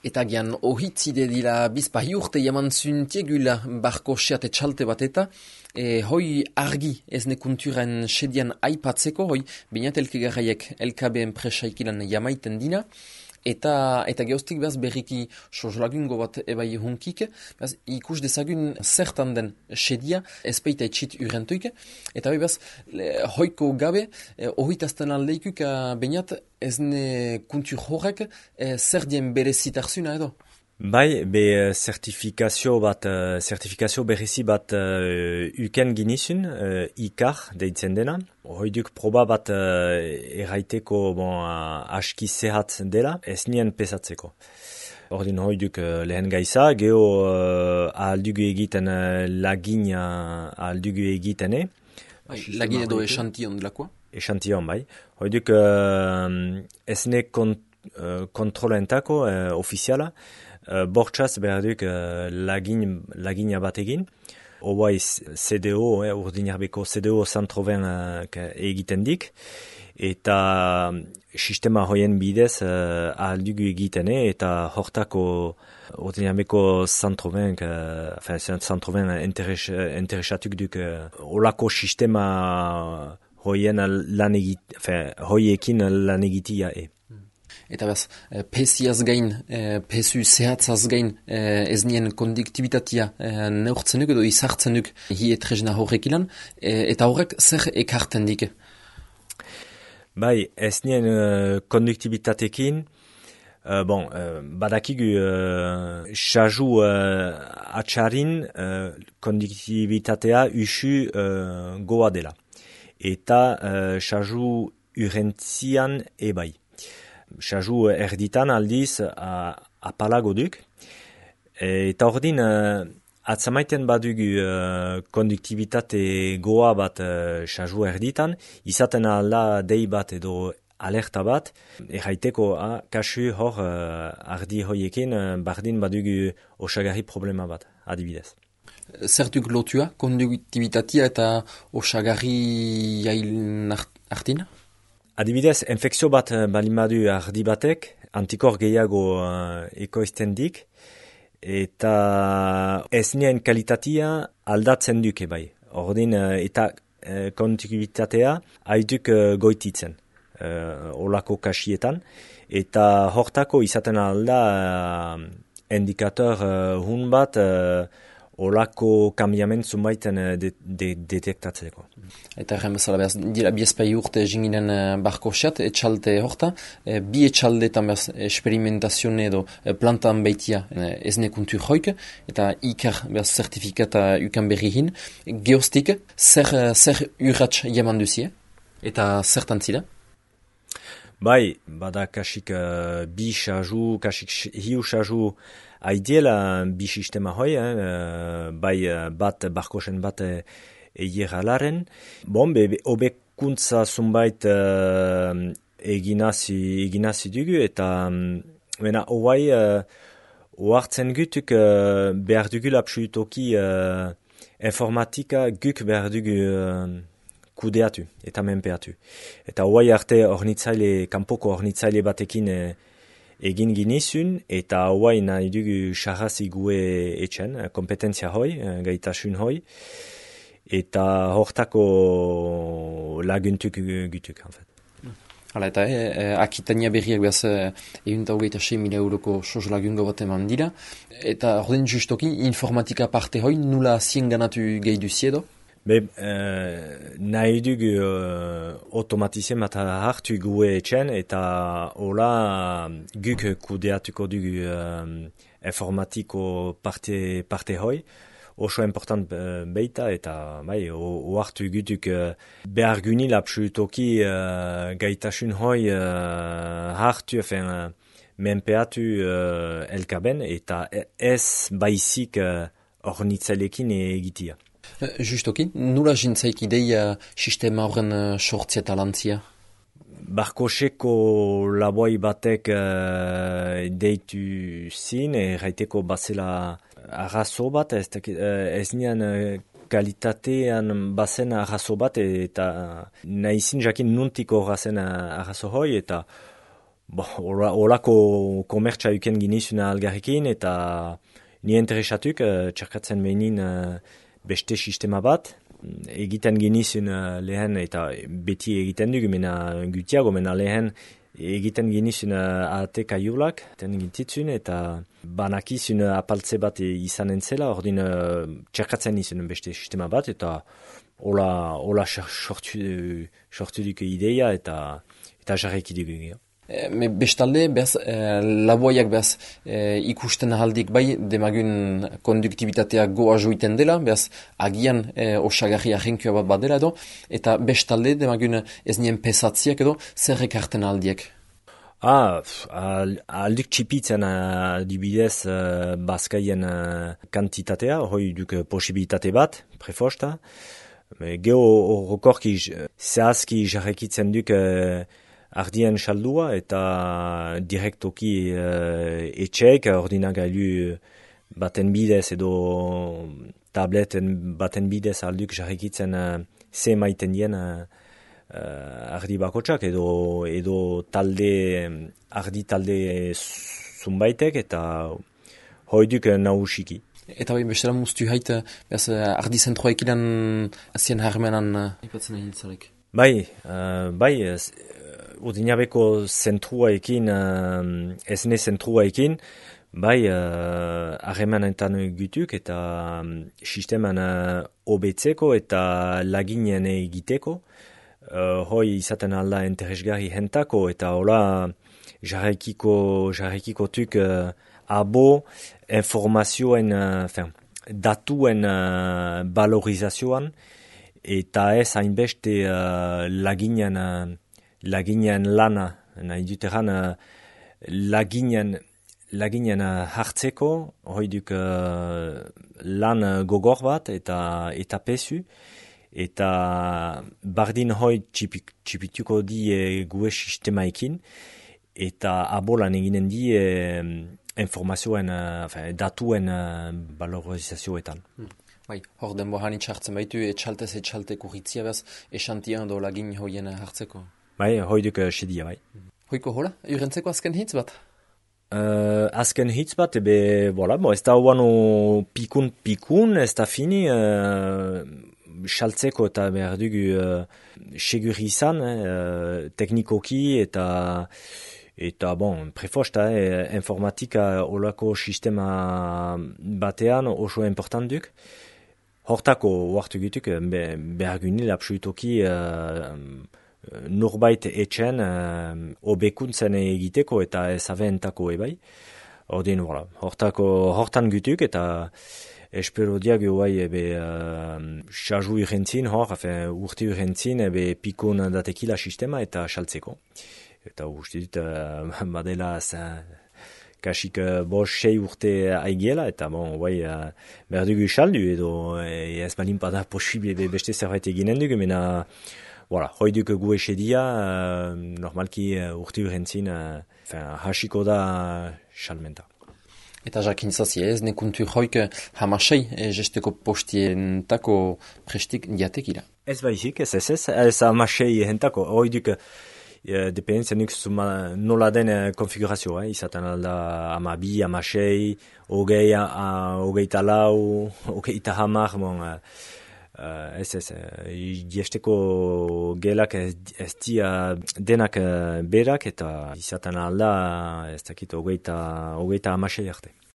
Eta gian ohitzide dira bizpahi urte jaman zuntiegula barko seate txalte bat eta hoi argi ez nekunturen sedian aipatzeko, hoi bainat elkegarraiek LKB enpresaikilan jamaiten dina, eta geostik behaz berriki sozlagungo bat ebai hunkik, behaz ikus dezagun zertan den sedia ezpeita etxit urentuik, eta hoi behaz hoiko gabe ohitazten aldeikuk bainat ez ne kuntur horrek zer dien berezitarzuna edo? Bai, be sertifikazio berezi bat uken ginizun, ikar deitzen dena. Hoiduk proba bat erraiteko aski zehatz dela, ez nien pesatzeko. Ordin hoiduk lehen gaiza, geho ahaldugu egiten lagina ahaldugu egitene. Lagin edo esantion delakoa? Esantion, bai. Hoiduk ez ne kontrolentako ofiziala, bortxaz behar duk lagina bat egin. Obai CDO, urdinarbeko CDO 120 egiten dik. Eta sistema hoien bidez ahaldugu egitene eta hortako urdinarbeko 120 interesatuk duk olako sistema hoiekin lan egitia Eta behaz, pesiaz gain, pesu zehatzaz gain, ez nien konduktibitatea neurtzenuk edo izartzenuk hietresna horrek ilan, eta horrek zer ekarten dik? Bai, ez nien konduktibitatekin, badakigu xaju atxarin konduktibitatea usu goa dela. Eta xaju urentzian ebai. Xaju erditan aldiz apalago duk. Eta ordin atzamaiten badugu konduktibitate goa bat xaju erditan, izaten alda dei bat edo alerta bat, erraiteko kasu hor ardi hoiekin bardin badugu osagarri problema bat, adibidez. Zertuk lotua konduktibitatea eta osagarri jail artina? Adibidez, infekzio bat balimadu ardi batek, antikor gehiago ekoizten dik, eta ez nien kalitatea aldatzen duke bai. Ordin, eta konduktibitatea haiduk goititzen, olako kasietan, eta hortako izaten alda indikator hun bat olako kambiament zumbaiten detektatzeko. Eta erren bezala behaz, dira biezpai urte jinginen barko seat, etxalte horta, bi etxaldetan behaz esperimentazione edo plantan baitia ez nekuntur hoik, eta ikar behaz zertifikata ukan berrihin, geostik, zer urratx jaman duzie, eta zertan zira? Bai, bada kasik bi xaju, kasik hiu xaju aidiela bi sistema hoi, bai bat barkosen bat eieralaren. Obekuntza zumbait eginazi dugu, eta hoai oartzen gutuk behar dugu lapsuitoki informatika guk behar dugu kudeatu eta menpeatu. Eta hoai arte kanpoko ornitzaile batekin egin ginizun, eta hoai nahi dugu xarrazi gue etxen, kompetentzia hoi, gaitasun hoi, eta hortako laguntuk gutuk, en fait. Hala, eta Akitania berriak behaz €6 euroko sos lagungo bat eman dira, eta ordin justoki informatika parte hoi nula zien ganatu gehi duziedo? Nahi dugu automatizien bat hartu gue etxen, eta hola guk kudeatuko dugu informatiko parte hoi. Oso important beita, eta bai, oartu gutuk behar guni lapsutoki gaitasun hoi hartu, menpeatu elkaben, eta ez baizik ornitzailekin egitia. Justoki, nula jintzaik ideia sistema horren sortzia eta lantzia? Barkoseko laboi batek deitu zin, erraiteko bazela arrazo bat, ez nian kalitatean bazen arrazo bat, eta nahizin jakin nuntiko razen arrazo hoi, eta Olako komertsa uken ginizuna algarrekin, eta ni interesatuk txerkatzen behin beste sistema bat. Egiten ginizun lehen, eta beti egiten dugu, mena gutiago, mena lehen egiten ginizun ahate kaiulak, gintitzun, eta banakizun apaltze bat izanen zela, ordin txerkatzen nizun beste sistema bat, eta hola sortu duke ideia, eta jarreki dugu. Bestalde, laboiak ikusten ahaldik bai, demagun konduktibitatea goa joiten dela, agian osagarri ahenkioa bat badela edo, eta bestalde, demagun ez nien pesatziak edo, zer ekarten ahaldiek? Aldik txipitzen dibidez bazkaien kantitatea, hoi duk posibilitate bat, prefosta. Geo horrokorki zehazki jarrekitzen duk ardien saldua eta direktoki etxeek, ordinagailu baten bidez edo tableten baten bidez alduk jarrekitzen ze maiten dien ardi bakotsak edo ardi talde zunbaitek eta hoiduk nahusiki. Eta bain bestela muztu haite, ardi zentroa ekidan azien harmenan ipatzen egin zarek? Bai, Urdinabeko zentruaekin, esne zentruaekin, bai, harremanetan gutuk eta sisteman hobetzeko eta laginen egiteko. Hoi izaten alda interesgarri hentako eta hola jarrekiko tuk abo informazioen, datuen valorizazioan eta ez hainbeste laginen lana, nahi duteran laginen hartzeko, hoi duk lan gogor bat eta pesu, eta bardin hoi txipituko di gue sistemaekin, eta abolan eginen di informazioen, datuen valorizazioetan. Bai, hor denbohan itxartzen baitu, etxalte kurritzia behaz, esantian do lagin hoien hartzeko. Bai, hoiduk sedia, bai. Hoiko hola, urentzeko azken hitz bat? Azken hitz bat, ez da uano pikun, ez da fini, saltzeko eta behar dugu segur izan, teknikoki eta prefosta, informatika olako sistema batean oso important duk. Hortako huartu gutuk, behar gunil absolutoki norbait etxen hobekuntzen egiteko eta ezabentako ebai. Ordin, hortan gutuk eta espero diago bai xaju irentzin, urte irentzin, pikon datekila sistema eta saltzeko. Eta uste dut, badela kasik 5-6 urte aigiela, eta behar dugu saldu edo ez balin pada posible beste zerbait eginen dugu, mena hoi duk gu esedia, normalki urte urentzin hasiko da salmenta. Eta jakin zazi ez, nekuntu joik hamasei jesteko postientako prestik diatekira. Ez baizik, ez hamasei hentako, hoi duk dependentzia nuk nola den konfigurazioa, izaten alda 12, 16, 24, 30, jesteko gelak ez dia denak berak eta izaten alda ez dakit 30 hamasei arte.